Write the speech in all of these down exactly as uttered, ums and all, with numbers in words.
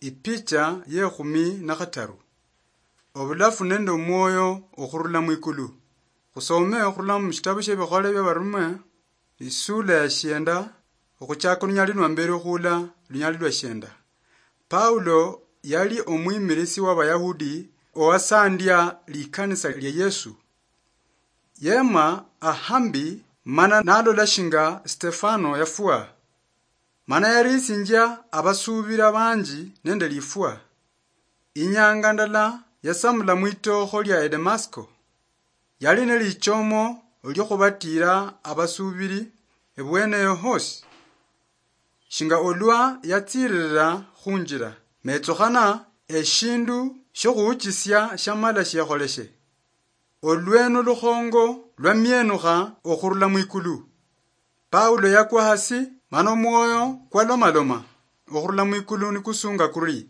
Ipicha yekhumi na khataru. Obulafu nende omwoyo okhurula mwikulu. Khusome okhurula mu shitabu shie Bikhole bia Barume, isula ya shienda, okhuchaka olunyali lwa mbere okhuula lunyali lwa shienda. Paulo yali omwimirisi wa Bayahudi owasandia likanisa lia Yesu. Yema ahambi mana nalola shinga Stefano yafwa. Mana yarisinjia abasuubira banji nende lifwa. Inyanga ndala yasamula mwitookho lia Edemasko. Yali nelichomo liokhubatira abasuubiri ebweneyo hosi. Shinga olwa yatsiririra khunjira, metsukhana eshindu shiokhuuchisia shiamala shiekholeshe. Olweno lukhongo lwamienukha okhurula mwikulu. Paulo yakwa hasi, mana omwoyo kwalomaloma okhurula mwikulu nikusunga kuri,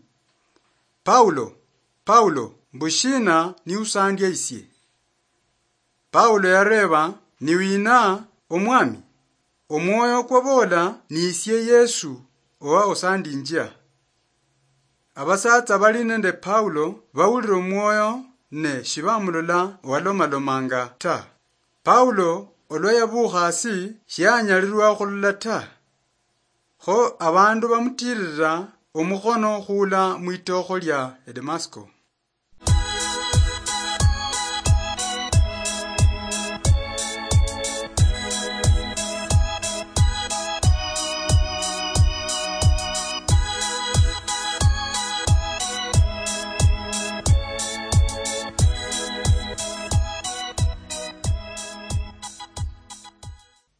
"Paulo, Paulo, mbushina niusandia isie?" Paulo yareba, "Ni wina, Omwami?" Omwoyo kwabola, "Ni isie Yesu, owa osandinjia." Abasatsa bali nende Paulo bawulira omwoyo ne shibamulola owalomalomanga ta. Paulo olwa yabukha hasi, shiyanyalirwa okhulola ta. Kho abandu bamutirira omukhono khula mwitookho lia Edemasko.